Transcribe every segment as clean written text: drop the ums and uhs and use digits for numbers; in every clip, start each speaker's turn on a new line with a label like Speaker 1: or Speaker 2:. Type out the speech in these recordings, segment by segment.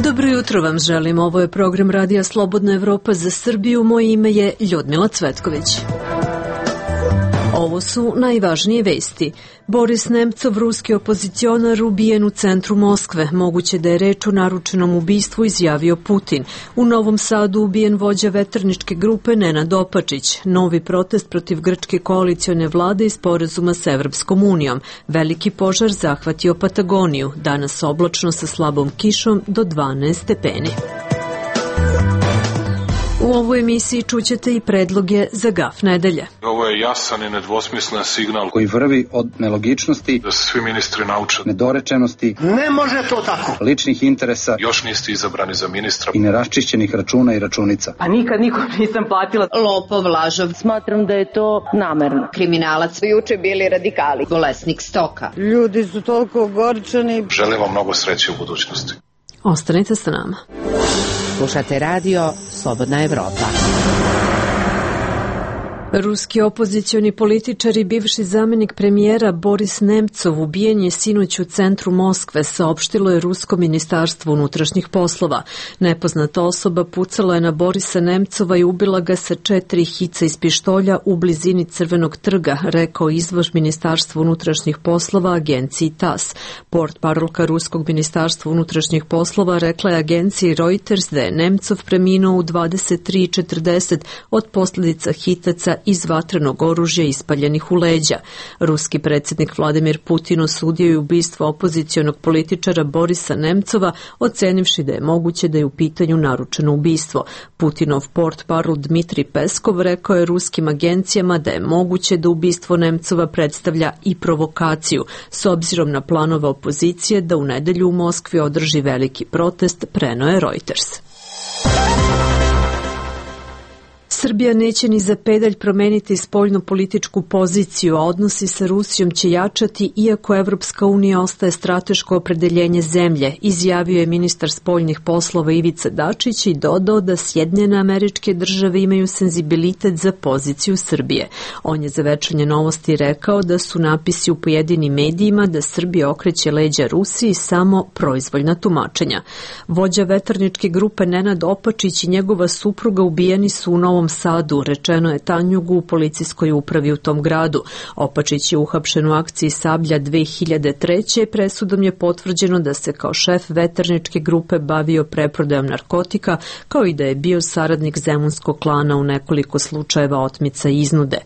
Speaker 1: Dobro jutro vam želim. Ovo je program Radija Slobodna Evropa za Srbiju. Moje ime je Ljudmila Cvetković. Ovo su najvažnije vesti. Boris Nemcov, ruski opozicionar, ubijen u centru Moskve. Moguće da je reč o naručenom ubistvu, izjavio Putin. U Novom Sadu ubijen vođa veterničke grupe Nenad Opačić. Novi protest protiv grčke koalicione vlade i sporazuma s Evropskom unijom. Veliki požar zahvatio Patagoniju. Danas oblačno sa slabom kišom do 12 stepeni. U ovoj emisiji čućete i predloge za GAF nedelje.
Speaker 2: Ovo je jasan i nedvosmislen signal
Speaker 3: koji vrvi od nelogičnosti,
Speaker 2: da se svi ministri nauče
Speaker 3: nedorečenosti,
Speaker 4: ne može to tako,
Speaker 3: ličnih interesa,
Speaker 2: još niste izabrani za ministra
Speaker 3: i neraščišćenih računa i računica.
Speaker 5: Pa nikad nikom nisam platila.
Speaker 6: Lopov, lažov.
Speaker 5: Smatram da je to namerno.
Speaker 6: Kriminalac. Juče bili radikali. Bolesnik stoka.
Speaker 7: Ljudi su toliko ogorčeni.
Speaker 2: Želim vam mnogo sreće u budućnosti.
Speaker 1: Ostanite sa nama.
Speaker 8: Slušate radio Slobodna Evropa.
Speaker 1: Ruski opozicioni političar i bivši zamenik premijera Boris Nemcov ubijen je sinoć u centru Moskve, saopštilo je Rusko ministarstvo unutrašnjih poslova. Nepoznata osoba pucala je na Borisa Nemcova i ubila ga sa 4 hica iz pištolja u blizini Crvenog trga, rekao izvršno ministarstvo unutrašnjih poslova agenciji TASS. Portparolka Ruskog ministarstva unutrašnjih poslova rekla je agenciji Reuters da je Nemcov preminuo u 23:40 od posljedica hitaca iz vatrenog oružja ispaljenih u leđa. Ruski predsjednik Vladimir Putin osudio je ubistvo opozicionog političara Borisa Nemcova, ocenivši da je moguće da je u pitanju naručeno ubistvo. Putinov portparol Dmitri Peskov rekao je ruskim agencijama da je moguće da ubistvo Nemcova predstavlja i provokaciju, s obzirom na planove opozicije da u nedelju u Moskvi održi veliki protest, preneo je Reuters. Srbija neće ni za pedalj promeniti spoljno-političku poziciju, a odnosi sa Rusijom će jačati iako Evropska unija ostaje strateško opredeljenje zemlje, izjavio je ministar spoljnih poslova Ivica Dačić i dodao da Sjedinjene Američke Države imaju senzibilitet za poziciju Srbije. On je za Večernje novosti rekao da su napisi u pojedinim medijima da Srbija okreće leđa Rusiji samo proizvoljna tumačenja. Vođa veterničke grupe Nenad Opačić i njegova supruga ubijeni su u Novom Sadu, rečeno je Tanjugu u policijskoj upravi u tom gradu. Opačić je uhapšen u akciji Sablja 2003. Presudom je potvrđeno da se kao šef veterničke grupe bavio preprodajom narkotika, kao i da je bio saradnik zemunskog klana u nekoliko slučajeva otmica i iznude.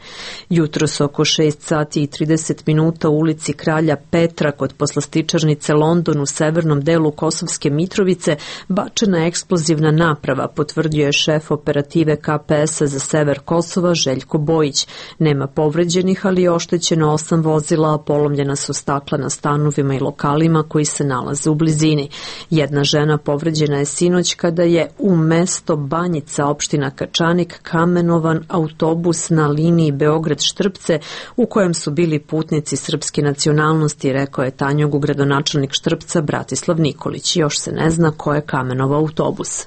Speaker 1: Jutros oko 6:30 u ulici Kralja Petra kod poslastičarnice London u severnom delu Kosovske Mitrovice bačena je eksplozivna naprava, potvrdio je šef operative KPS za sever Kosova Željko Bojić. Nema povređenih, ali je oštećeno 8 vozila, a polomljena su stakla na stanovima i lokalima koji se nalaze u blizini. Jedna žena povređena je sinoć kada je u mesto Banjica, opština Kačanik, kamenovan autobus na liniji Beograd-Štrpce u kojem su bili putnici srpske nacionalnosti, rekao je Tanjugu gradonačelnik Štrpca Bratislav Nikolić. Još se ne zna ko je kamenovao autobus.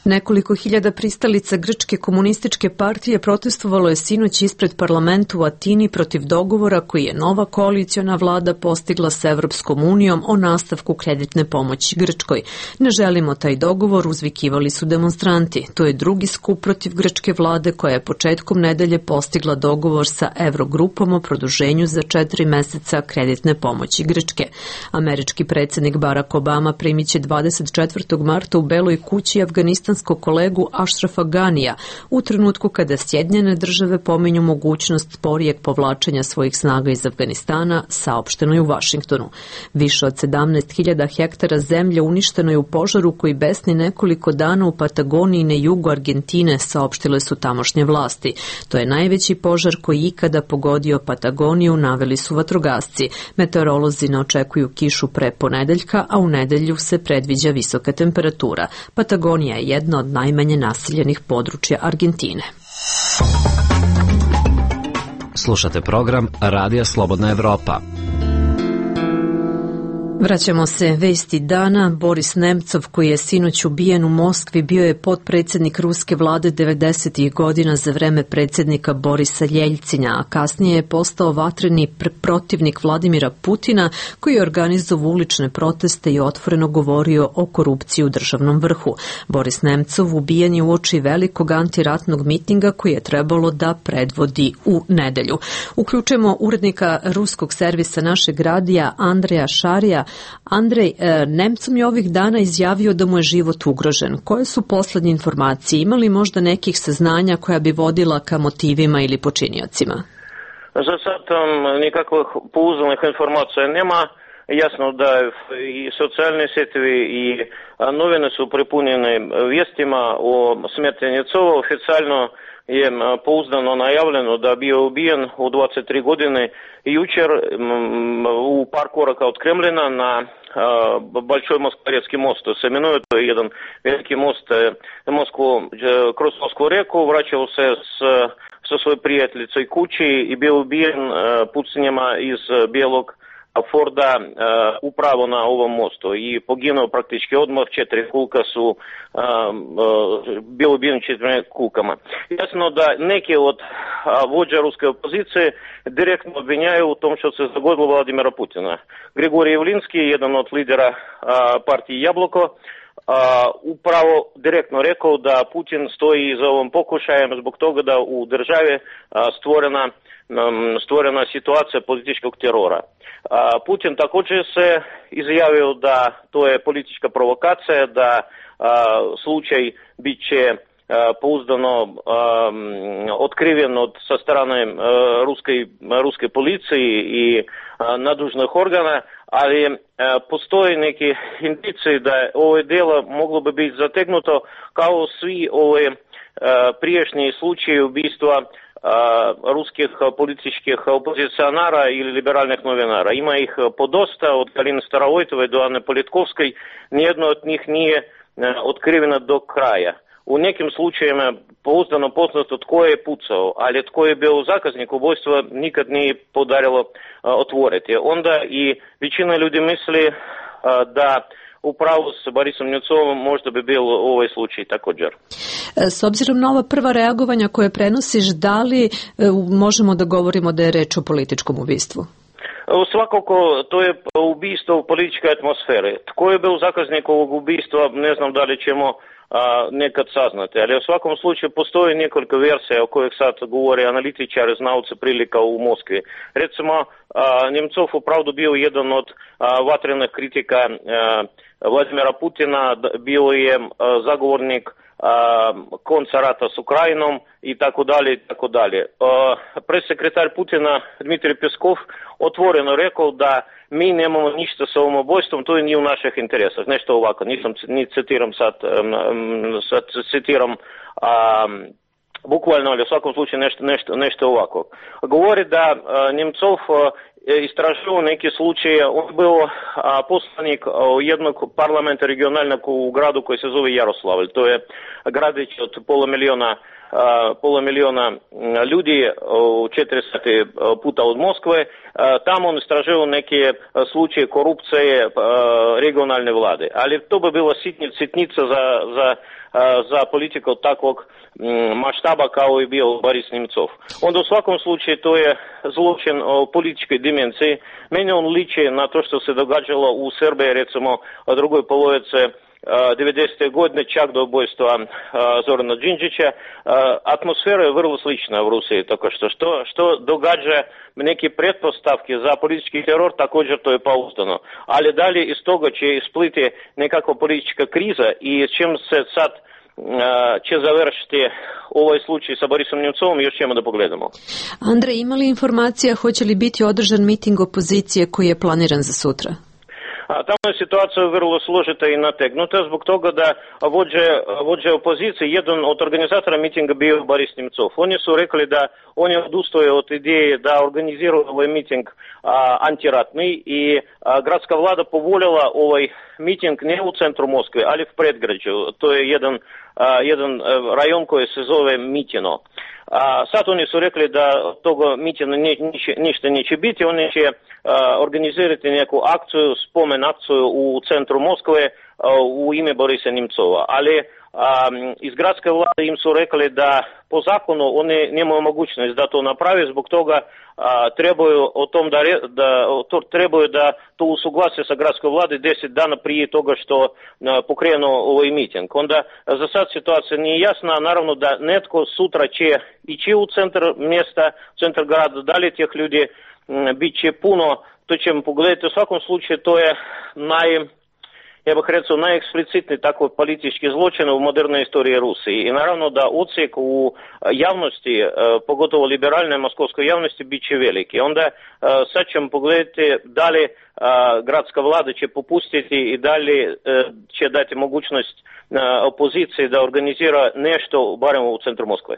Speaker 1: Nekoliko hiljada pristalica Grčke komunističke partije protestovalo je sinoć ispred parlamenta u Atini protiv dogovora koji je nova koaliciona vlada postigla s Evropskom unijom o nastavku kreditne pomoći Grčkoj. Ne želimo taj dogovor, uzvikivali su demonstranti. To je drugi skup protiv grčke vlade koja je početkom nedelje postigla dogovor sa Evrogrupom o produženju za 4 meseca kreditne pomoći Grčke. Američki predsjednik Barack Obama primit će 24. marta u Beloj kući Afganistanskog kolegu Ašrafa Ganija u trenutku kada Sjedinjene Države pominju mogućnost sporijeg povlačenja svojih snaga iz Afganistana, saopšteno je u Vašingtonu. Više od 17.000 hektara zemlje uništeno je u požaru koji besni nekoliko dana u Patagoniji na jugu Argentine, saopštile su tamošnje vlasti. To je najveći požar koji ikada pogodio Patagoniju, naveli su vatrogasci. Meteorolozi ne očekuju kišu pre ponedeljka, a u nedelju se predviđa visoka temperatura. Patagonija je jedna od najmanje naseljenih područja Argentine.
Speaker 9: Slušate program Radija Slobodna Evropa.
Speaker 1: Vraćamo se vesti dana. Boris Nemcov, koji je sinoć ubijen u Moskvi, bio je potpredsjednik ruske vlade 90. godina za vreme predsjednika Borisa Ljeljcinja, a kasnije je postao vatreni protivnik Vladimira Putina, koji je organizovao ulične proteste i otvoreno govorio o korupciji u državnom vrhu. Boris Nemcov ubijen je uoči velikog antiratnog mitinga koji je trebalo da predvodi u nedelju. Uključujemo urednika ruskog servisa našeg radija Andreja Šarija. Andrej, Nemcov je ovih dana izjavio da mu je život ugrožen. Koje su poslednje informacije? Ima li možda nekih saznanja koja bi vodila ka motivima ili počiniocima?
Speaker 4: Za sad nikakvih pouzdanih informacija nema. Jasno da i socijalni setovi i novine su prepunjene vijestima o smrti Nemcova. Oficijalno je pouzdano najavljeno da bio ubijen u 23 godine jučer u par koraka od Kremlina na Большой Москворецкий мост. Se imenuje, to je jedan veliki most kroz Moskvu reku, vraćao se sa svojoj prijateljicoj kući i bio ubijen pucanjima iz bijelog Forda upravo na ovom mostu i poginuo praktički odmah. 4 kulka su bilo ubijen 4 kulkama. Jasno da neki od vođa ruske opozicije direktno obvinjaju u tom što se zagodilo Vladimira Putina. Grigorij Javlinski, jedan od lidera partije Jabloko, upravo direktno rekao da Putin stoji za ovom pokušajem zbog toga da u državi stvorena situacija političkog terora. Putin također se izjavio da to je politička provokacija, da slučaj bit će pouzdano otkriven sa strane ruske policije i nadležnih organa, ali postoji neki indicije da ovo djelo moglo bi biti zategnuto kao svi ove prijašnji slučaji ubistva ruskih političkih opozicionara ili liberalnih novinara. Ima ih podosta, od Galины Starovojtove do Ane Politkovskoj, nijedno od njih nije otkriveno do kraja. U nekim slučajevima pouzdano poznato tko je pucao, ali tko je bio zakaznik ubojstva nikad nije podarilo otvoriti. Onda i većina ljudi misli da upravo s Borisom Nemcovom možda bi bio ovaj slučaj također.
Speaker 1: S obzirom na ova prva reagovanja koje prenosiš, da li možemo da govorimo da je reč o političkom ubistvu?
Speaker 4: Svakako, to je ubistvo u političkoj atmosferi. Tko je bio zakaznik ovog ubistva, ne znam da li ćemo nekad saznati, ali u svakom slučaju postoji nekoliko versija o kojih sad govore analitičari, znalci prilika u Moskvi. Recimo, Nemcov upravdu bio jedan od vatrenih kritika Vladimira Putina, bio je zagovornik konca rata s Ukrajinom i tako dalje i tako dalje. Presekretar Putina Dmitrij Peskov otvoreno rekao da mi nemamo ništa sa ovom ubojstvom, to je nije u naših interesах. Nešto ovako, ni citiram sad citiram bukvalno, ali u svakom slučaju nešto ovako. Govori da Nemcov istražio neke slučaje. On bio poslanik jednog parlamenta regionalnog u gradu koji se zove Jaroslavl. To je gradić od pola miliona ljudi, 40 puta od Moskve. Tamo on istražio neke slučaje korupcije regionalne vlade. Ali to bi bila sitnica za politiku takvog maštaba kao i bio Boris Nemcov. Onda u svakom slučaju to je zločin o političkoj dimenziji. Meni on liči na to što se događalo u Srbiji, recimo u drugoj polovici 90. godine, čak do ubojstva Zorana Đinđića. Atmosfera je vrlo slična u Rusiji, tako što događa neke pretpostavke za politički teror, također to je pouzdano. Ali dalje iz toga će ispliti nekakva politička kriza i čim se sad će završiti ovaj slučaj sa Borisom Nemcovom, još ćemo da pogledamo.
Speaker 1: Andrej, ima li informacija hoće li biti održan miting opozicije koji je planiran za sutra?
Speaker 4: Tamo je situacija vrlo složita i nategnuta zbog toga da vođa opozicije, jedan od organizatora mitinga bio Boris Nemcov. Oni su rekli da oni odustaju od ideje da organiziraju ovaj miting antiratni i gradska vlada povoljela ovaj miting ne u centru Moskve, ali u predgrađu. To je jedan rajon koji se zove Mitino. Sad oni su rekli da toga mitina ništa neće biti, oni će organizirati neku akciju spomen kamen akciju u centru Moskve u ime Borisa Nemcova. Ali iz gradske vlade im su rekli da po zakonu oni nemaju mogućnost da to napravi, zbog toga trebaju da to usuglase sa gradskoj vlade 10 dana prije toga što pokrenu ovaj miting. Onda za sad situacija nije jasna, naravno da netko sutra će ići u centar mjesta, centar grada, da li tih ljudi bit će puno, to ćemo pogledati. U svakom slučaju to je ja bih rekao, najeksplicitniji tako politički zločin u modernoj istoriji Rusije. I naravno da odsjek u javnosti, pogotovo liberalnoj moskovskoj javnosti, bit će veliki. Onda sad ćemo pogledati da li gradska vlada će popustiti i da li će dati mogućnost opoziciji da organizira nešto, barem u centru Moskve.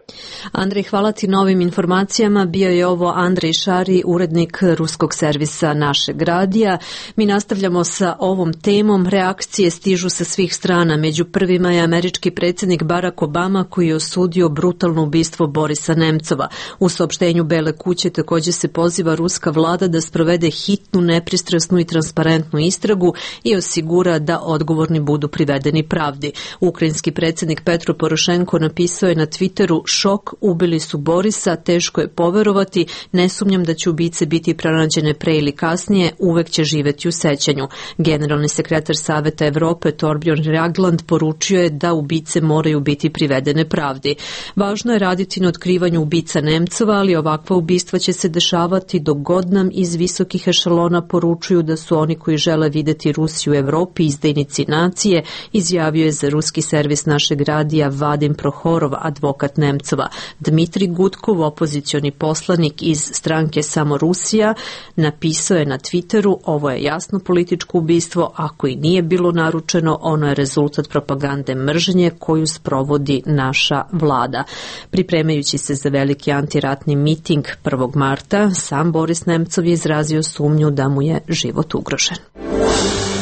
Speaker 1: Andrej, hvala ti na ovim informacijama. Bio je ovo Andrej Šari, urednik ruskog servisa Našeg radija. Mi nastavljamo sa ovom temom. Reakcije stižu sa svih strana. Među prvima je američki predsjednik Barack Obama, koji je osudio brutalno ubistvo Borisa Nemcova. U saopštenju Bele kuće također se poziva ruska vlada da sprovede hitnu, nepristrasnu i transparentnu istragu i osigura da odgovorni budu privedeni pravdi. Ukrajinski predsjednik Petro Porošenko napisao je na Twitteru: šok, ubili su Borisa, teško je poverovati, ne sumnjam da će ubice biti pronađene pre ili kasnije, uvek će živjeti u sećanju. Generalni sekretar Saveta Evrope Torbjörn Jagland poručio je da ubice moraju biti privedene pravdi. Važno je raditi na otkrivanju ubica Nemcova, ali ovakva ubistva će se dešavati dok god nam iz visokih ešalona poručuju da su oni koji žele vidjeti Rusiju u Evropi izdajnici nacije, izjavio je za ruski servis Našeg radija Vadim Prohorov, advokat Nemcova. Dmitri Gudkov, opozicioni poslanik iz stranke Samo Rusija, napisao je na Twitteru: ovo je jasno političko ubistvo, ako i nije bilo naručeno, ono je rezultat propagande mržnje koju sprovodi naša vlada. Pripremajući se za veliki antiratni miting 1. marta, sam Boris Nemcov je izrazio sumnju da mu je život ugrožen.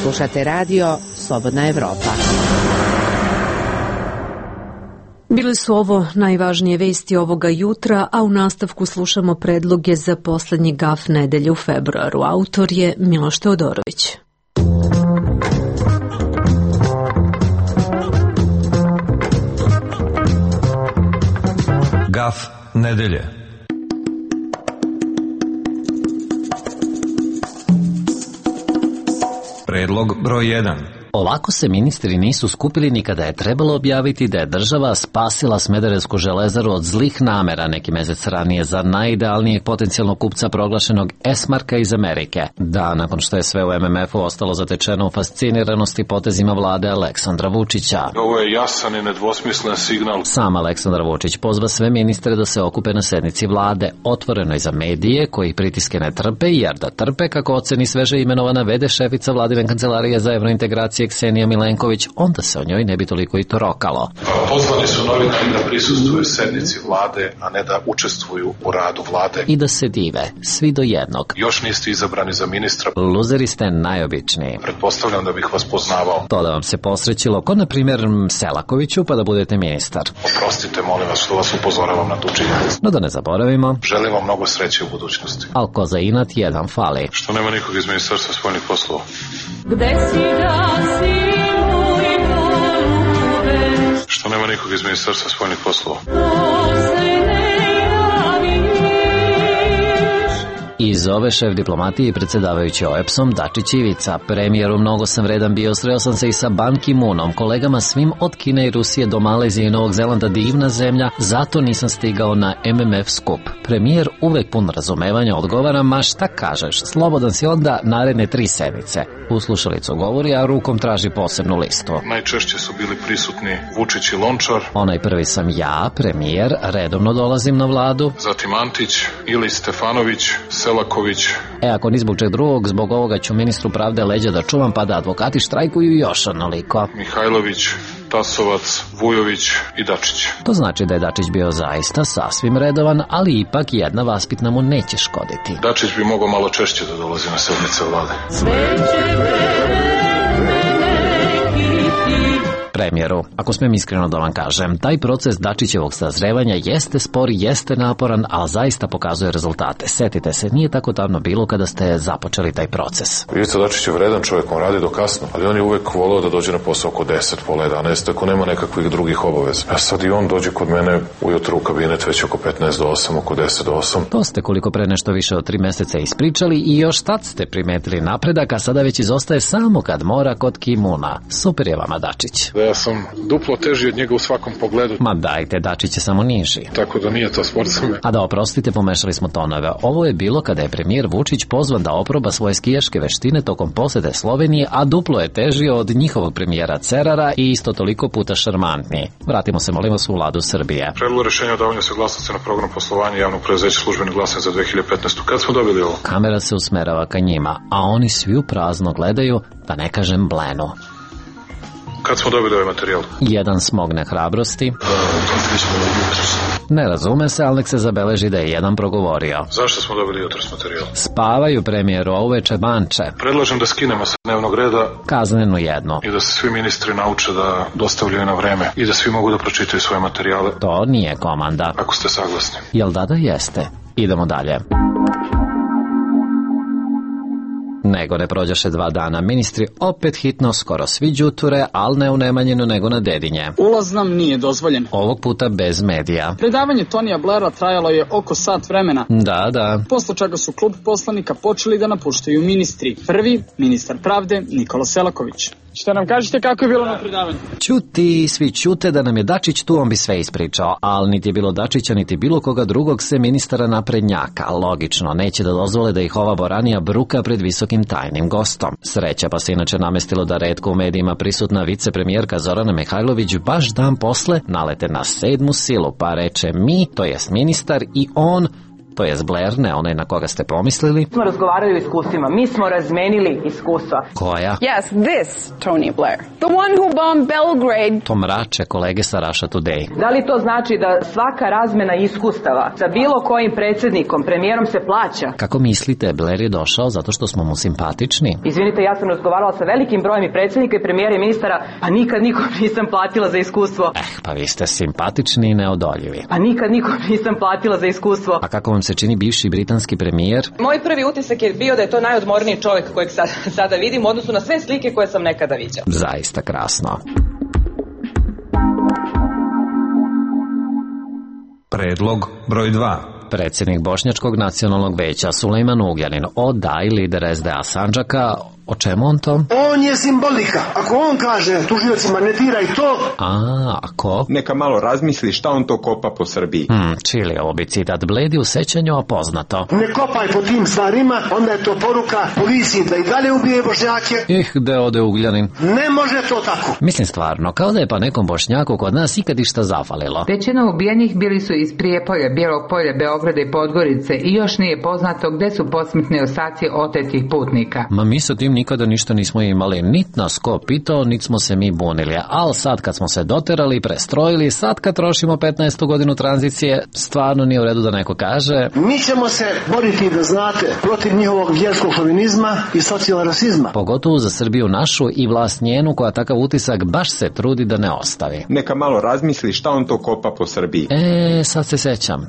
Speaker 8: Slušate radio Slobodna Evropa.
Speaker 1: Bile su ovo najvažnije vesti ovoga jutra, a u nastavku slušamo predloge za posljednji gaf nedelje u februaru. Autor je Miloš Teodorović.
Speaker 9: Gaf nedelje. Predlog broj 1.
Speaker 10: Ovako se ministri nisu skupili ni kada je trebalo objaviti da je država spasila Smederevsku železaru od zlih namera neki mjesec ranije za najidealnijeg potencijalnog kupca proglašenog S-marka iz Amerike. Da, nakon što je sve u MMF-u ostalo zatečeno u fasciniranosti potezima vlade Aleksandra Vučića.
Speaker 2: Ovo je jasan i nedvosmislen signal.
Speaker 10: Sam Aleksandar Vučić pozva sve ministre da se okupe na sednici vlade, otvoreno i za medije koji pritiske ne trpe, jer da trpe, kako oceni sveže imenovana v.d. šefica vladine kancelarije za evrointegracije Ksenija Milenković, onda se o njoj ne bi toliko i torokalo.
Speaker 2: Pozvani su novinari da prisustvuju sednici vlade, a ne da učestvuju u radu vlade.
Speaker 10: I da se dive, svi do jednog.
Speaker 2: Još niste izabrani za ministra.
Speaker 10: Luzeri ste najobičniji.
Speaker 2: Pretpostavljam da bih vas poznavao.
Speaker 10: To da vam se posrećilo, ko na primjer Selakoviću, pa da budete ministar.
Speaker 2: Oprostite, molim vas, što vas upozoravam na tu činjenicu.
Speaker 10: No da ne zaboravimo.
Speaker 2: Želim vam mnogo sreće u budućnosti.
Speaker 10: Al ko za inat jedan fali.
Speaker 2: Što nema nikog iz Ministarstva spoljnih poslova?
Speaker 11: Gde si da si moj polube?
Speaker 2: Što nema nikog iz Ministarstva spoljnih poslova?
Speaker 10: I zove šef diplomatije i predsjedavajući OEBS-om Dačić Ivica. Premijeru, mnogo sam vredan bio, sreo sam se i sa Ban Ki-moonom, kolegama svim od Kine i Rusije do Malezije i Novog Zelanda, divna zemlja, zato nisam stigao na MMF skup. Premijer uvek pun razumevanja odgovara: ma šta kažeš, slobodan si onda naredne 3 sedmice. U slušalicu govori, a rukom traži posebnu listu.
Speaker 2: Najčešće su bili prisutni Vučić i Lončar.
Speaker 10: Onaj prvi sam ja, premijer, redovno dolazim na vladu.
Speaker 2: Zatim Antić, Ili Stefanović, Selaković.
Speaker 10: Ako ni zbog čeg drugog, zbog ovoga ću ministru pravde leđa da čuvam, pa da advokati štrajkuju još onoliko.
Speaker 2: Mihajlović, Tasovac, Vujović i Dačić.
Speaker 10: To znači da je Dačić bio zaista sasvim redovan, ali ipak jedna vaspitna mu neće škoditi.
Speaker 2: Dačić bi mogao malo češće da dolazi na sednice vlade.
Speaker 10: Premijeru, ako smijem iskreno da vam kažem, taj proces Dačićevog sazrevanja jeste spor, jeste naporan, ali zaista pokazuje rezultate. Setite se, nije tako davno bilo kada ste započeli taj proces.
Speaker 2: Ivica Dačić je vredan čovjek, on radi do kasno, ali on je uvek voleo da dođe na posao oko 10, pola 11, ako nema nekakvih drugih obaveza. A sad i on dođe kod mene ujutru u kabinet već oko 15 do 8, oko 10 do 8.
Speaker 10: To ste koliko pre nešto više od 3 meseca ispričali i još tad ste primetili napredak, a sada već izostaje samo kad mora kod Kimuna. Super je vama Dačić.
Speaker 2: Da ja sam duplo teži od njega u svakom pogledu.
Speaker 10: Ma dajte, Dačić je samo niži.
Speaker 2: Tako da nije to sport za me.
Speaker 10: A da oprostite, pomešali smo tonove. Ovo je bilo kada je premijer Vučić pozvan da oproba svoje skijaške veštine tokom posete Slovenije, a duplo je teži od njihovog premijera Cerara i isto toliko puta šarmantniji. Vratimo se, molim vas, u vladu Srbije.
Speaker 2: Predlog rešenja o davanju saglasnosti na program poslovanja javnog preduzeća Službeni glasnik za 2015. Kad smo dobili ovo?
Speaker 10: Kamera se usmerava ka njima, a oni svi u prazno gledaju, da ne kažem blenu.
Speaker 2: Kad smo dobili ovaj materijal?
Speaker 10: Jedan smogne hrabrosti. Ne razume se, ali nek se zabeleži da je jedan progovorio.
Speaker 2: Zašto smo dobili jutros materijal?
Speaker 10: Spavaju premijeru, a uveče banče.
Speaker 2: Predlažem da skinemo sa dnevnog reda
Speaker 10: kaznenu jednu.
Speaker 2: I da se svi ministri nauče da dostavljaju na vreme i da svi mogu da pročitaju svoje materijale.
Speaker 10: To nije komanda.
Speaker 2: Ako ste saglasni.
Speaker 10: Jel da jeste? Idemo dalje. Nego ne prođaše 2 dana. Ministri opet hitno, skoro svi đuture, ali ne u Nemanjinu nego na Dedinje.
Speaker 12: Ulaz nam nije dozvoljen.
Speaker 10: Ovog puta bez medija.
Speaker 12: Predavanje Tonija Blaira trajalo je oko sat vremena.
Speaker 10: Da.
Speaker 12: Posle čega su klub poslanika počeli da napuštaju ministri. Prvi, ministar pravde, Nikola Selaković. Šta nam kažete kako je bilo na predavanju?
Speaker 10: Ćuti, svi ćute da nam je Dačić tu, on bi sve ispričao, ali niti je bilo Dačića, niti bilo koga drugog se ministara naprednjaka. Logično, neće da dozvole da ih ova boranija bruka pred visokim tajnim gostom. Sreća pa se inače namestilo da retko u medijima prisutna vicepremijerka Zorana Mihajlović baš dan posle nalete na 7. silu, pa reče mi, to jest ministar, i on, to je Blair, ne onaj na koga ste pomislili.
Speaker 5: Smo razgovarali o iskustvima, mi smo razmenili iskustva.
Speaker 10: Koja?
Speaker 13: Yes, this Tony Blair. The one who bombed Belgrade.
Speaker 10: To mrače kolege sa Russia Today.
Speaker 5: Da li to znači da svaka razmena iskustava sa bilo kojim predsjednikom, premijerom se plaća?
Speaker 10: Kako mislite, Blair je došao zato što smo mu simpatični?
Speaker 5: Izvinite, ja sam razgovarala sa velikim brojem i predsjednika i premijera i ministara, a nikad nikom nisam platila za iskustvo.
Speaker 10: Pa vi ste simpatični i neodoljivi.
Speaker 5: A nikad nikom nisam platila za iskustvo.
Speaker 10: A kako vam se čini bivši britanski premijer?
Speaker 5: Moj prvi utisak je bio da je to najodmorniji čovjek kojeg sada vidim u odnosu na sve slike koje sam nekada viđao.
Speaker 10: Zaista krasno.
Speaker 9: Predlog broj 2.
Speaker 10: Predsjednik Bošnjačkog nacionalnog veća Sulejman Ugljanin i lider SDA Sandžaka. O čemu on to?
Speaker 14: On je simbolika. Ako on kaže tužiocima ne diraj to...
Speaker 10: Ako?
Speaker 15: Neka malo razmisli šta on to kopa po Srbiji.
Speaker 10: Čili ovo bi citat Bledi u sećanju, a poznato.
Speaker 14: Ne kopaj po tim stvarima, onda je to poruka policiji da i dalje ubije Bošnjake.
Speaker 10: Gde ode Ugljanin?
Speaker 14: Ne može to tako.
Speaker 10: Mislim stvarno, kao da je pa nekom Bošnjaku kod nas ikad išta zafalilo.
Speaker 16: Većina ubijenih bili su iz Prijepolja, Bijelog Polja, Beograda i Podgorice i još nije poznato gde su posmrtni ostaci otetih putnika.
Speaker 10: Ma mi sa tim nikada ništa nismo imali, nit nas ko pitao, nit smo se mi bunili, ali sad kad smo se doterali, prestrojili, sad kad trošimo 15. godinu tranzicije, stvarno nije u redu da neko kaže.
Speaker 14: Mi ćemo se boriti, da znate, protiv njihovog vjerskog šovinizma i socijalnog rasizma.
Speaker 10: Pogotovo za Srbiju našu i vlast njenu koja takav utisak baš se trudi da ne ostavi.
Speaker 15: Neka malo razmisli šta on to kopa po Srbiji.
Speaker 10: Sad se sećam.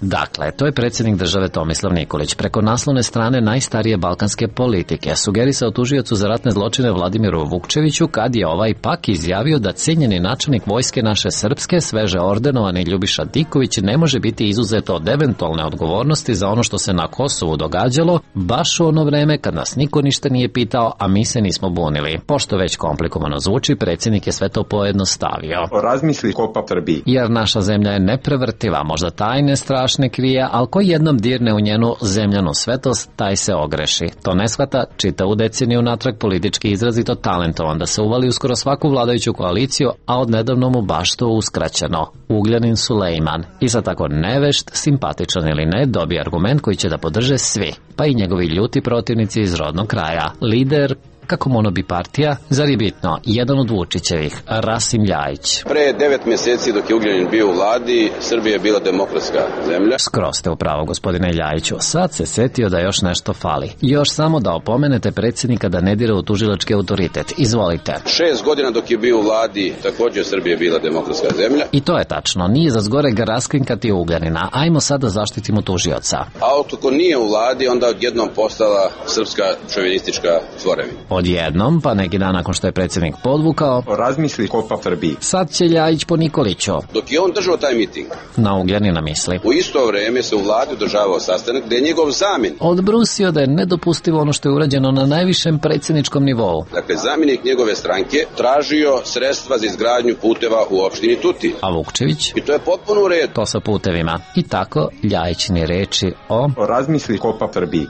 Speaker 10: Dakle, to je predsjednik države Tomislav Nikolić preko naslovne strane najstarije balkanske politike sugerisao tužiocu za ratne zločine Vladimiru Vukčeviću kad je ovaj pak izjavio da cijenjeni načelnik vojske naše srpske, sveže ordenovani Ljubiša Diković ne može biti izuzeto od eventualne odgovornosti za ono što se na Kosovu događalo baš u ono vreme kad nas niko ništa nije pitao, a mi se nismo bunili. Pošto već komplikovano zvuči, predsjednik je sve to pojednostavio.
Speaker 15: Razmisli kopa Srbiji.
Speaker 10: Jer naša zemlja je neprevrtiva, možda tajne strašne krije, ali ko jednom dirne u njenu zemljanu svetost, taj se ogreši. To ne shvata, čita u deceniju natrag politički izrazito talentovan da se uvali u skoro svaku vladajuću koaliciju, a od nedavno mu baš to uskraćeno. Ugljanin Sulejman. I za tako nevešt, simpatičan ili ne, dobije argument koji će da podrže svi, pa i njegovi ljuti protivnici iz rodnog kraja. Lider kako monobi partija, zar je bitno, jedan od Vučićevih, Rasim Ljajić.
Speaker 17: Pre 9 mjeseci dok je Ugljanin bio u vladi, Srbija je bila demokratska zemlja.
Speaker 10: Skroz ste u pravo, gospodine Ljajiću. Sad se setio da još nešto fali. Još samo da opomenete predsjednika da ne dira u tužilački autoritet. Izvolite.
Speaker 17: 6 godina dok je bio u vladi, također Srbija je bila demokratska zemlja.
Speaker 10: I to je tačno. Nije za zgoreg raskrinkati Ugljanina. Ajmo sad da zaštitimo tužioca.
Speaker 17: A ako nije u vladi, onda odjednom postala srpska šovinistička tvorevina.
Speaker 10: Odjednom, pa neki dan nakon što je predsjednik podvukao,
Speaker 15: razmisli kopa Srbiji.
Speaker 10: Sad će Ljajić po Nikoliću.
Speaker 17: Dok je on držao taj miting,
Speaker 10: na Ugljanina misli.
Speaker 17: U isto vrijeme se u vladi održavao sastanak gdje je njegov zamjenik
Speaker 10: odbrusio da je nedopustivo ono što je urađeno na najvišem predsjedničkom nivou.
Speaker 17: Dakle, zamjenik njegove stranke tražio sredstva za izgradnju puteva u opštini Tutin.
Speaker 10: A Vukčević?
Speaker 17: I to je potpuno u redu.
Speaker 10: To sa putevima. I tako Ljajićini reči o
Speaker 15: razmisli kopa Srbiji.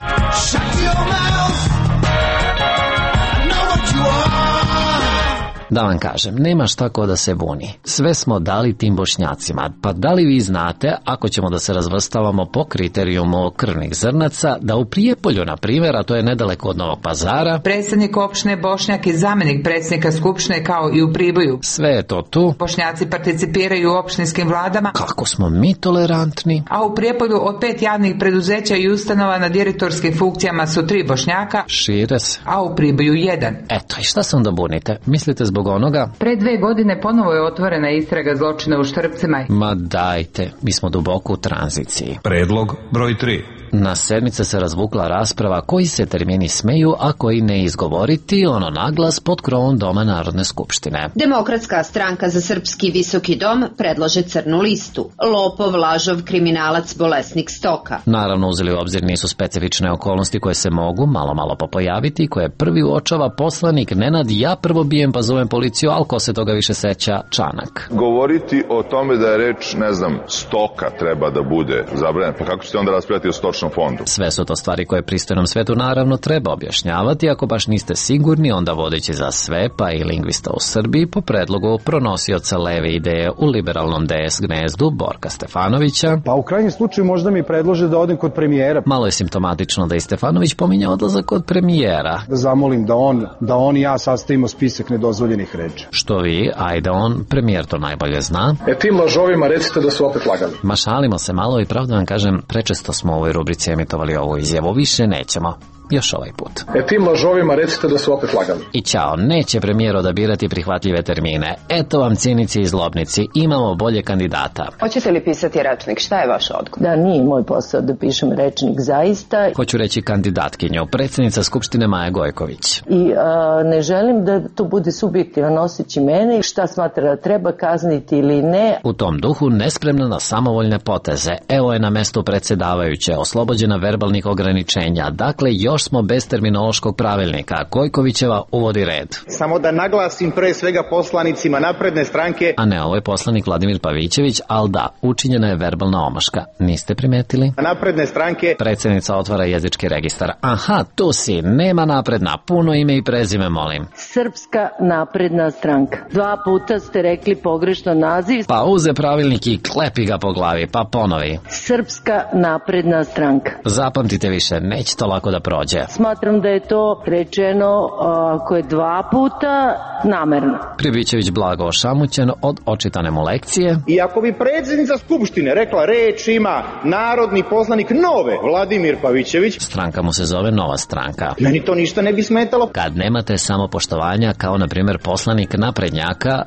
Speaker 10: Da vam kažem, nema šta ko da se buni. Sve smo dali tim Bošnjacima. Pa da li vi znate, ako ćemo da se razvrstavamo po kriterijumu krvnih zrnaca, da u Prijepolju, na primjer, a to je nedaleko od Novog Pazara,
Speaker 16: predsjednik opštine Bošnjak i zamjenik predsjednika Skupštine kao i u Priboju.
Speaker 10: Sve je to tu.
Speaker 16: Bošnjaci participiraju u opštinskim vladama.
Speaker 10: Kako smo mi tolerantni.
Speaker 16: A u Prijepolju od 5 javnih preduzeća i ustanova na direktorskim funkcijama su 3 Bošnjaka.
Speaker 10: Šire se.
Speaker 16: A u Priboju 1.
Speaker 10: Eto, i šta se onda bunite? Mislite zbog onoga?
Speaker 16: Pre 2 godine ponovo je otvorena istraga zločina u Štrpcima.
Speaker 10: Ma dajte, mi smo duboko u tranziciji.
Speaker 9: Predlog broj 3.
Speaker 10: Na sedmice se razvukla rasprava koji se termini smeju, a koji ne izgovoriti, ono naglas pod krovom Doma Narodne skupštine.
Speaker 6: Demokratska stranka za srpski visoki dom predlaže crnu listu. Lopov, lažov, kriminalac, bolesnik stoka.
Speaker 10: Naravno, uzeli u obzir nisu specifične okolnosti koje se mogu malo popojaviti, koje prvi uočava poslanik Nenad, ja prvo bijem pa zovem policiju, ali ko se toga više seća, Čanak.
Speaker 18: Govoriti o tome da je reč, ne znam, stoka treba da bude zabranjena, pa kako ćete onda raspravljati o stočnom fondu?
Speaker 10: Sve su to stvari koje pristojnom svetu naravno treba objašnjavati, ako baš niste sigurni, onda vodeći za sve, pa i lingvista u Srbiji, po predlogu pronosioca leve ideje u liberalnom DS gnezdu Borka Stefanovića.
Speaker 19: Pa u krajnjem slučaju možda mi predlože da odem kod premijera.
Speaker 10: Malo je simptomatično da i Stefanović pominje odlazak kod premijera.
Speaker 19: Da zamolim da on i ja sastavimo spisak nedozvoljenih reči.
Speaker 10: Što vi, ajde on, premijer to najbolje zna.
Speaker 20: Tim lažovima recite da su opet lagali.
Speaker 10: Ma šalimo se malo i pravda vam kažem, prečesto smo u ovoj rubrici emitovali ovu izjavu, više nećemo. Još ovaj put.
Speaker 20: Tim lažovima recite da su opet lagali.
Speaker 10: I ćao, neće premijer odabirati prihvatljive termine. Eto vam cinici i zlobnici, imamo bolje kandidata.
Speaker 6: Hoćete li pisati rečnik? Šta je vaš odgovor?
Speaker 21: Da, nije moj posao da pišem rečnik, zaista.
Speaker 10: Hoću reći kandidatkinju, predsjednica Skupštine Maja Gojković.
Speaker 21: I ne želim da to bude subjektivan osjećaj mene, šta smatra da treba kazniti ili ne.
Speaker 10: U tom duhu nespremna na samovoljne poteze. Evo je na mestu predsjedavajuće, oslobođena verbalnih ograničenja. Dakle, još smo bez terminološkog pravilnika. Gojkovićeva uvodi red.
Speaker 22: Samo da naglasim pre svega poslanicima Napredne stranke.
Speaker 10: A ne, ovo je poslanik Vladimir Pavićević, ali da, učinjena je verbalna omaška. Niste primetili?
Speaker 22: Napredne stranke.
Speaker 10: Predsjednica otvara jezički registar. Aha, tu si, nema napredna, puno ime i prezime, molim.
Speaker 21: Srpska napredna stranka. 2 puta ste rekli pogrešno naziv.
Speaker 10: Pa uze pravilnik i klepi ga po glavi, pa ponovi.
Speaker 21: Srpska napredna stranka.
Speaker 10: Zapamtite više, neće to lako da prođe.
Speaker 21: Smatram da je to rečeno ako je 2 puta namerno.
Speaker 10: Pribićević blago ošamućen od očitane mu lekcije.
Speaker 22: I ako bi predsjednica Skupštine rekla reč ima narodni poslanik nove Vladimir Pavićević.
Speaker 10: Stranka mu se zove Nova stranka.
Speaker 22: Meni to ništa ne bi smetalo.
Speaker 10: Kad nemate samopoštovanja kao na primjer poslanik naprednjaka,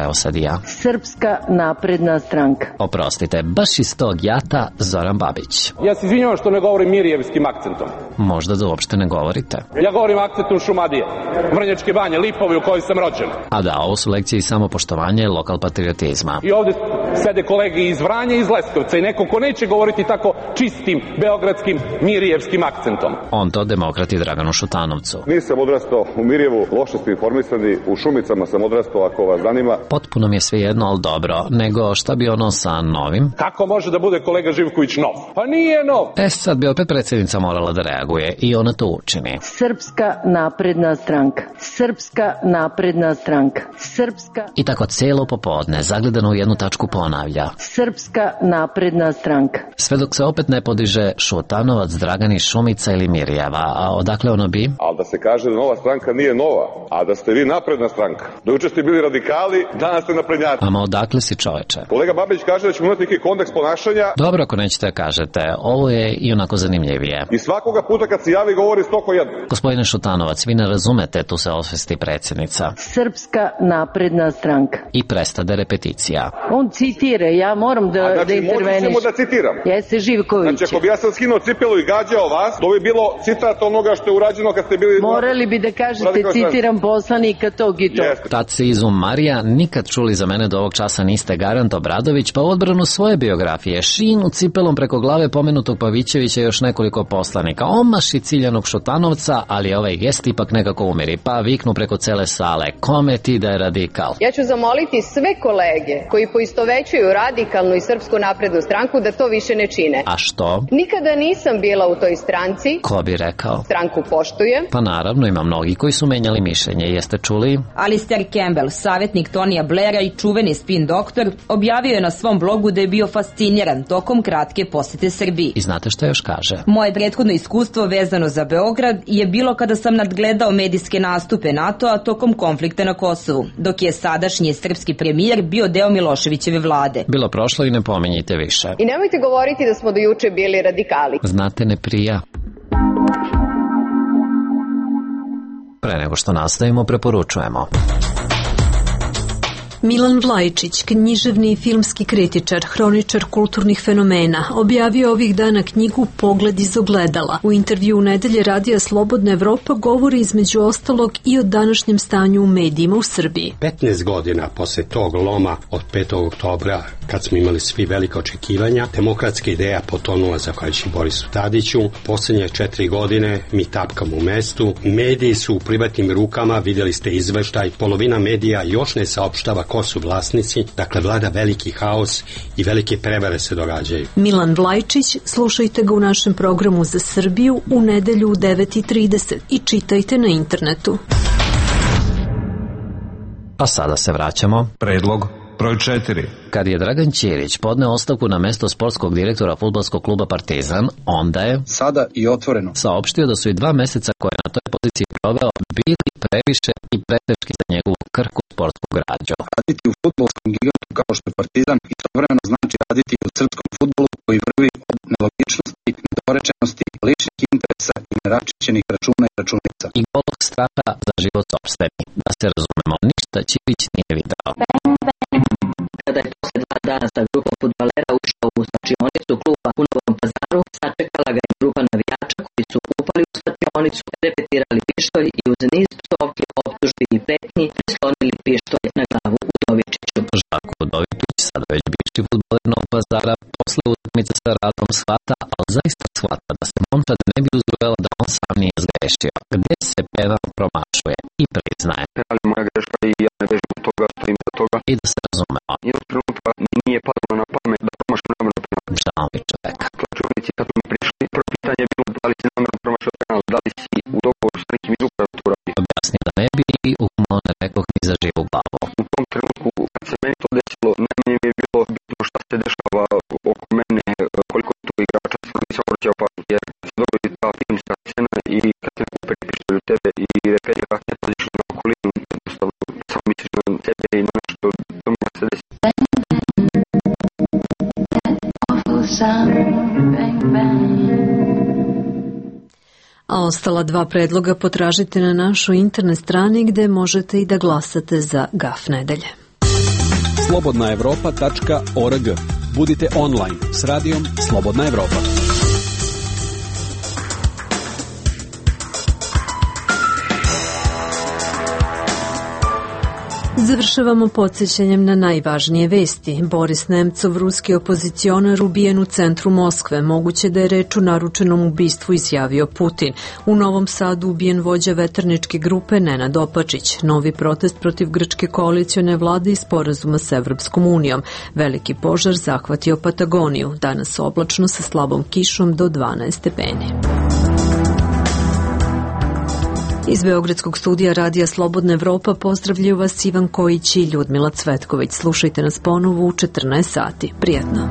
Speaker 10: evo sad i ja.
Speaker 21: Srpska napredna stranka.
Speaker 10: Oprostite, baš iz tog jata Zoran Babić.
Speaker 23: Ja se izvinjavam što ne govorim mirijevskim akcentom.
Speaker 10: Možda da uopšte ne govorite.
Speaker 23: Ja govorim akcentom Šumadije, Vrnjačke banje, Lipovi u kojoj sam rođen.
Speaker 10: A da, ovo su lekcije i samopoštovanja i lokal patriotizma.
Speaker 23: I ovdje sede kolege iz Vranja i iz Leskovca i neko ko neće govoriti tako čistim beogradskim mirijevskim akcentom.
Speaker 10: On to demokrati Draganu Šutanovcu.
Speaker 24: Nisam odrastao u Mirjevu, loše ste informisani, u Šumicama sam odrastao ako vas zanima.
Speaker 10: Potpuno mi je sve jedno, ali dobro, nego šta bi ono sa novim?
Speaker 23: Kako može da bude kolega Živković nov? Pa nije nov!
Speaker 10: Sad bi opet predsjednica morala da reaguje i ona to učini.
Speaker 21: Srpska napredna stranka. Srpska napredna stranka. Srpska...
Speaker 10: I tako celo popodne, zagledano u jednu tačku po ponavlja.
Speaker 21: Srpska napredna stranka.
Speaker 10: Sve dok se opet ne podiže Šutanovac, Dragani, Šumica ili Mirjeva, a odakle ono bi?
Speaker 24: Ali da se kaže da nova stranka nije nova, a da ste vi napredna stranka. Do juče ste bili radikali, danas ste naprednjaci.
Speaker 10: Ama odakle si, čoveče?
Speaker 24: Kolega Babić kaže da ćemo imati neki kodeks ponašanja.
Speaker 10: Dobro, ako nećete kažete, ovo je i onako zanimljivije.
Speaker 24: I svakoga puta kad se javi govori 101.
Speaker 10: Gospodine Šutanovac, vi ne razumete, tu se osvesti predsjednica.
Speaker 21: Srpska napredna stranka.
Speaker 10: I prestade repeticija.
Speaker 21: On citira, ja moram da interveniš.
Speaker 24: Znači, da citiram.
Speaker 21: Jeste Živković.
Speaker 24: Znači, ako bi ja sam skinuo cipelu i gađao vas, to bi bilo citat onoga što je urađeno kad ste bili...
Speaker 21: Morali bi da kažete, citiram poslanika tog i tog.
Speaker 10: Tad se izum Marija, nikad čuli za mene do ovog časa niste Garant Obradović, pa u odbranu svoje biografije, šinu cipelom preko glave pomenutog Pavićevića i još nekoliko poslanika. Omaši ciljanog Šutanovca, ali ovaj gest ipak nekako umiri, pa viknu preko cele sale. Kome ti da je radikal?
Speaker 3: Ja ću zamoliti sve kolege koji poistovećuju radikalnu i Srpsku naprednu stranku da to više ne čine.
Speaker 10: A što?
Speaker 3: Nikada nisam bila u toj stranci.
Speaker 10: Ko bi rekao?
Speaker 3: Stranku poštujem.
Speaker 10: Pa naravno, ima mnogi koji su menjali mišljenje, jeste čuli?
Speaker 4: Alistair Campbell, savjetnik Tonija Blaira i čuveni spin doktor, objavio je na svom blogu da je bio fasciniran tokom kratke posete Srbiji.
Speaker 10: I znate što još kaže?
Speaker 4: Moje prethodno iskustvo vezano za Beograd je bilo kada sam nadgledao medijske nastupe NATO-a tokom konflikta na Kosovu, dok je sadašnji srpski premijer bio deo Miloševićeve vlade.
Speaker 10: Bilo prošlo i ne pominjite više.
Speaker 3: I nemojte govoriti da smo do juče bili radikali.
Speaker 10: Znate, ne prija. Pre nego što nastavimo, preporučujemo.
Speaker 1: Milan Vlajčić, književni i filmski kritičar, hroničar kulturnih fenomena, objavio ovih dana knjigu Pogled iz ogledala. U intervju u Nedelje radija Slobodna Evropa govori između ostalog i o današnjem stanju u medijima u Srbiji.
Speaker 7: 15 godina posle tog loma od 5. oktobra, kad smo imali svi velike očekivanja, demokratska ideja potonula zahvaljujući Borisu Tadiću. Poslednje 4 godine mi tapkamo u mestu. Mediji su u privatnim rukama, vidjeli ste izveštaj, polovina medija još ne saopštava ko su vlasnici, dakle vlada veliki haos i velike prevare se događaju.
Speaker 1: Milan Vlajčić, slušajte ga u našem programu za Srbiju u nedelju u 9:30 i čitajte na internetu.
Speaker 10: A sada se vraćamo.
Speaker 9: Predlog broj 4.
Speaker 10: Kad je Dragan Ćirić podneo ostavku na mesto sportskog direktora fudbalskog kluba Partizan, onda je
Speaker 19: sada i otvoreno
Speaker 10: saopštio da su i 2 meseca koje je na toj poziciji proveo bili previše i preteški za njegovu krhku sportsku građu.
Speaker 19: Raditi u fudbalskom gigantu kao što je Partizan istovremeno znači raditi u srpskom fudbalu koji vrvi od nelogičnosti, nedorečenosti, ličnih interesa i neračićenih računa i računica.
Speaker 10: I golog straha za život sopstveni. Da se razumemo, ništa Ćirić nije video.
Speaker 8: Kada je posle 2 dana sa grupom fudbalera ušao u slačionicu kluba u Novom Pazaru, sačekala ga je grupa navijača koji su upali u slačionicu, repetirali pištolj i uz niz psovki, optužbi i pretnji prislonili pištolj na glavu Udovičiću.
Speaker 10: Žarko Udovičić, sada već bivši fudbaler Novog Pazara, posle utakmice sa Radom shvata, ali zaista shvata da se momčad ne bi uzbrojala da on sam nije zgrešio. Gde se penal promašuje i priznaje.
Speaker 25: Ali moja greška i ja ne bežim od toga, stojim za toga.
Speaker 10: I da se razumemo.
Speaker 25: Jednog trenutka nije padalo na pamet da promašam namerno penal.
Speaker 10: Žao mi čovek.
Speaker 25: Klačovnici kad mi prišli, prvo pitanje je bilo da li si namerno promašao penal, da li si u dogovoru s nekim iz uprave to radi.
Speaker 10: Objasni da ne bi i umalo ne rekoh ni za živu glavu.
Speaker 25: U tom trenutku kad se meni to desilo, najmanje mi je bilo bitno šta se dešava oko mene, koliko je tu igrača, sam nisam obraćao pažnju, jer se dogodi ta filmska scena i kad se neko pripištaju tebe i repetira, ne paziš na okolinu, jednostavno samo misliš na tebe i na nešto, to mi se desi.
Speaker 1: A ostala 2 predloga potražite na našoj internet strani gde možete i da glasate za GAF nedelje.
Speaker 26: slobodnaevropa.org. Budite online s radijom Slobodna Evropa.
Speaker 1: Završavamo podsjećanjem na najvažnije vesti. Boris Nemcov, ruski opozicionar, ubijen u centru Moskve. Moguće da je reč o naručenom ubistvu, izjavio Putin. U Novom Sadu ubijen vođa veterničke grupe Nenad Opačić. Novi protest protiv grčke koalicione vlade i sporazuma s Evropskom unijom. Veliki požar zahvatio Patagoniju. Danas oblačno sa slabom kišom do 12 stepeni. Iz Beogradskog studija Radija Slobodna Evropa pozdravljaju vas Ivan Kojić i Ljudmila Cvetković. Slušajte nas ponovo u 14 sati. Prijetno.